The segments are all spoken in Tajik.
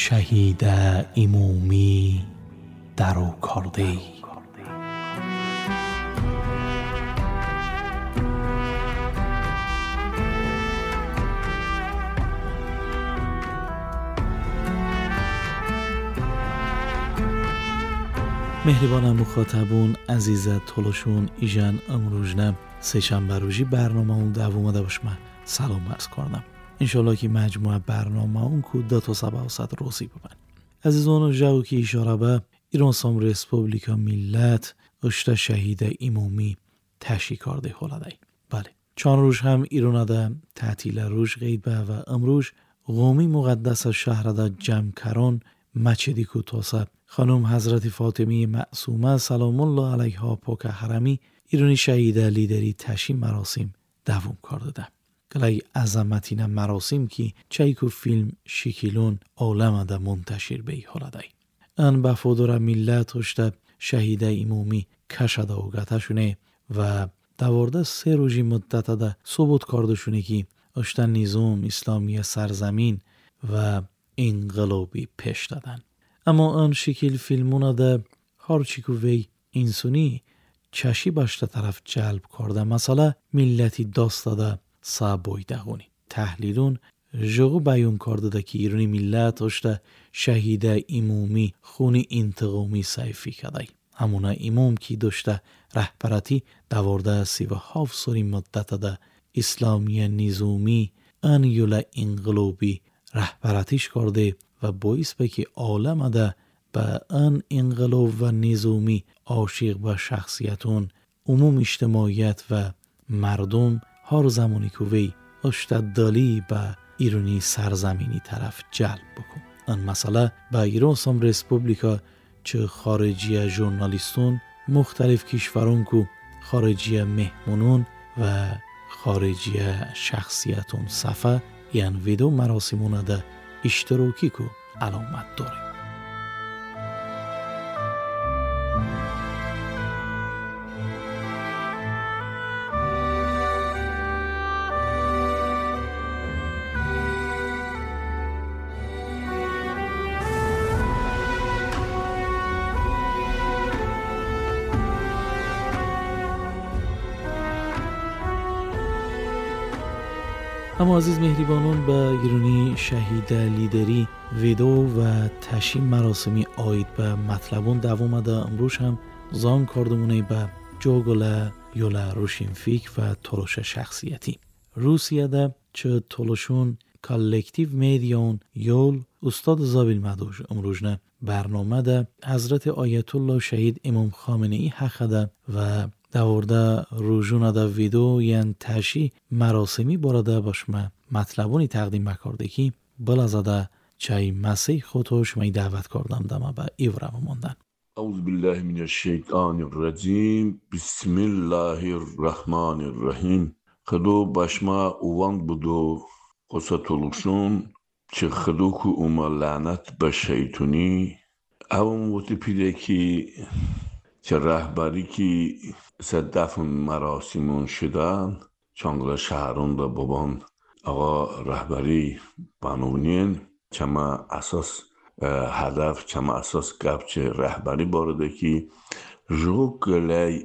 شهید امامی درو کرده. مهربانم مخاطبون عزیز تولشون ایجان امروزنه سه‌شنبه روزی برنامه اون دوم ده باش من سلام عرض کردم. انشالله که مجموعه برنامه اون کو ده تا سبع و صد روزی ببن. عزیزان جو که اشاره به ایران سام رسپوبلیکا ملت اشته شهید امامی تشییع کرده حالا. بله چند روز هم ایران ده تعطیل روز غیبه و امروز قومی مقدس شهر ده جمکران مچدی کو تاسه خانم حضرت فاطمه معصومه سلام الله علیها پاک حرمی ایرانی شهید لیدری تشییع مراسم دوام کرده ده. گلای عظمتین مراسم که چایکو فیلم شکیلون عالم ده منتشر به حالا دی. ان بفادر ملت هشته شهید امامی کشده و گتشونه و دوارده سه روزی مدت ده ثبوت کرده شونه که اشته نظام اسلامی سرزمین و انقلابی پیش دادن. اما آن شکل فیلمونه ده هرچی که وی انسانی چشی باشته طرف جلب کرده مثلا ملتی داست داده سابویدهونی. تحلیلون جغو بیان کرده ده که ایرانی ملت اشته شهید امامی خون انتقامی سیفی کرده. همونه امام که داشته رهبرتی دوارده 37 سالی مدت ده اسلامی نظامی ان یول انقلابی رهبرتیش کرده و باعث به که عالم ده به ان انقلاب و نظامی عاشق به شخصیتون عموم اجتماعیت و مردم هر زمانی که وی اشتدالی به ایرانی سرزمینی طرف جلب بکن. ان مسئله به ایران سام رسپوبلیکا چه خارجی ژورنالیستون مختلف کشورون کو خارجی مهمونون و خارجی شخصیتون صفحه یعنی ویدیو مراسمون ده اشتراکی کو علامت داره. اما عزیز مهریبانون به ایرانی شهید لیدری ویدو و تشییع مراسمی آید به مطلبون دوام ده امروز هم زان کردمونه به جوگل یولا روشنفیک و تولوش شخصیتی روسیه ده چه تولوشون کالکتیو میدیون یول استاد زابیل مدوش امروز نه برنامه ده حضرت آیت الله شهید امام خامنه ای حق ده و دوارده روژونه ده ویدو یعنی تشییع مراسمی بارده باشمه مطلبونی تقدیم بکرده که بلازده چای مسیح خودش می دعوت کردم دمه به ایورم ماندن. اعوذ بالله من الشیطان الرجیم بسم الله الرحمن الرحیم. خدو باشما اوان بودو قصتولوشون چه خدو که اوما لعنت به شیطونی اون وقتی پیده که چه رهبری که دفن مراسمون شدن چانگلا شهرون دا بابان آقا رهبری بانونین چما اساس هدف چما اساس گپ چه رهبری بارده که روگله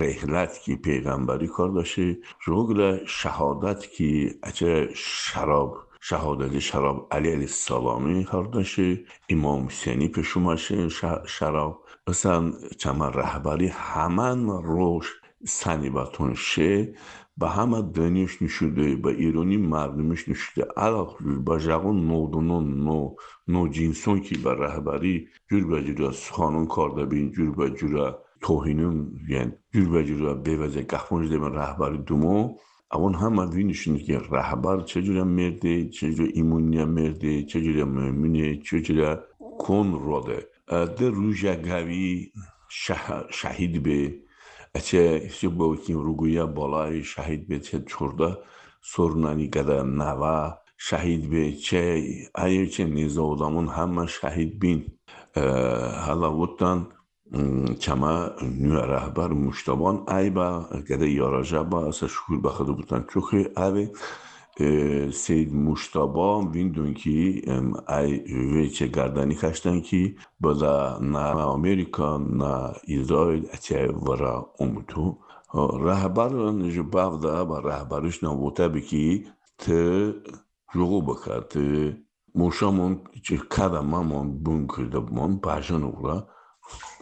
رحلت که پیغمبری کار داشته روگله شهادت که اچه شراب شهادت شراب علی علیه السلامی کار داشته امام حسینی پشوماشه شراب اصلا چما رهبری همان روش سنیباتون شه به همه دنیش نشده به ایرانی مردمش نشده علاوه به جوان نودونون نو نو جنسون که به رهبری جور به جور سخانون کار بین جور به جور توهینون یعنی جور به جور بیوزه قفونش ده رهبری دومو اون همه وینشونه که رهبر چجوری مرده چجوری ایمونی مرده چجوری مؤمنه چجوری کن روده ده روژه قوی شهید به اچه با روگویا بالای شهید به چه چورده سورنانی قدر نوا شهید به چه ایه چه نیزه آدمون همه شهید بین حالا وطن چما نو رهبر مشتبان ای با قدر یاراجه با اصلا شکر بخدا بودن چوخی اوه سید مجتبی ویندون که ای ویچه گردنی کشتن که بلا نه امریکا نه اسرائیل اچه ورا اومتو رهبران جباو با رهبرش نبوده بکی ت جوغو بکر ت موشامون چه کداممون بونکر دبمون باجن اورا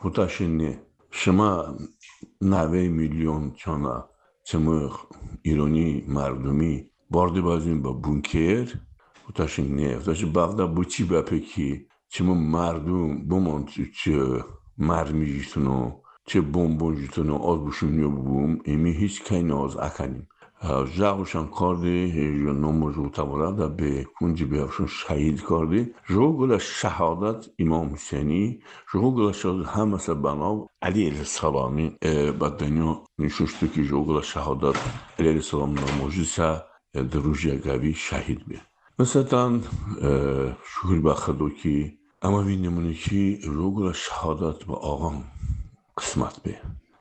بوداشنی شما 90 میلیون چانا چمو ایرانی مردمی بارده بازیم با بونکر بوداشنی بوداش باغدا بوچی بپکی چمو مردم بومون چه مرمی جیتونو چه بمبون جیتونو آز بوشم بوم ایمی هیچ کی ناز اکنیم ژاوشان کردی نموزو تبرا به کنجی بیافشون شهید کردی ژوگل شهادت امام حسینی ژوگل شهادت همه بنا علی علیه السلامی با دنیا نشستو که ژوگل شهادت علی علیه السلام نموزیسا دروژیا گوی شهید بی مثلا شکر به خدا که اما بینمونه که ژوگل شهادت با آقا قسمت بی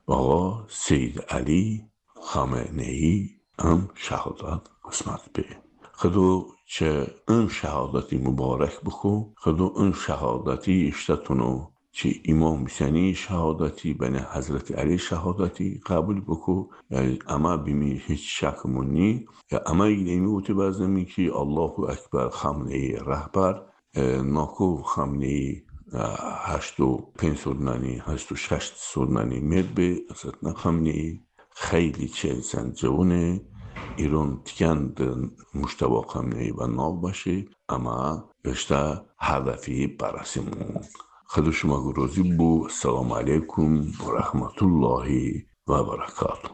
آقا سید علی خامنه ای ام شهادت قسمت به خدو چه ام شهادتی مبارک بخو خدو ام شهادتی اشتتونو چه امام حسینی شهادتی بین حضرت علی شهادتی قبول بکو اما بیمی هیچ شکمونی اما ایمی اوتی بازمی که الله اکبر خامنه ای رهبر ناکو خامنه ای 85 سودنانی 86 سودنانی مد به اصلا خامنه ای خیلی چه جوونه ایران تکند مجتبی خامنه‌ای و ناو باشه اما اشتا هدفی برسیمون خدا شما راضی بو. السلام علیکم و رحمت الله و برکاته.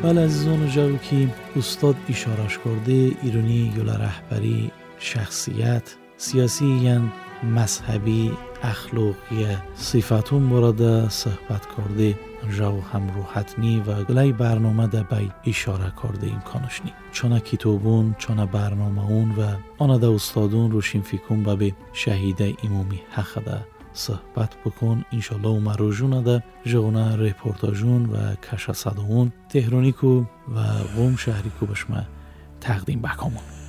بله عزیزان جو که استاد اشارش کرده ایرانی یل رهبری شخصیت سیاسی ین مذهبی اخلاقی صفتون برده صحبت کرده جو هم روحتنی و گلای برنامه ده بی اشاره کرده امکانش نی چون کتابون چون برنامه اون و آن ده استادون روشین فکرون به شهید امامی حق ده صحبت بکن انشالله و مروجون ده جونه رپورتاجون و کشا صداون تهرانی کو و قم شهری کو بشما تقدیم بکامون.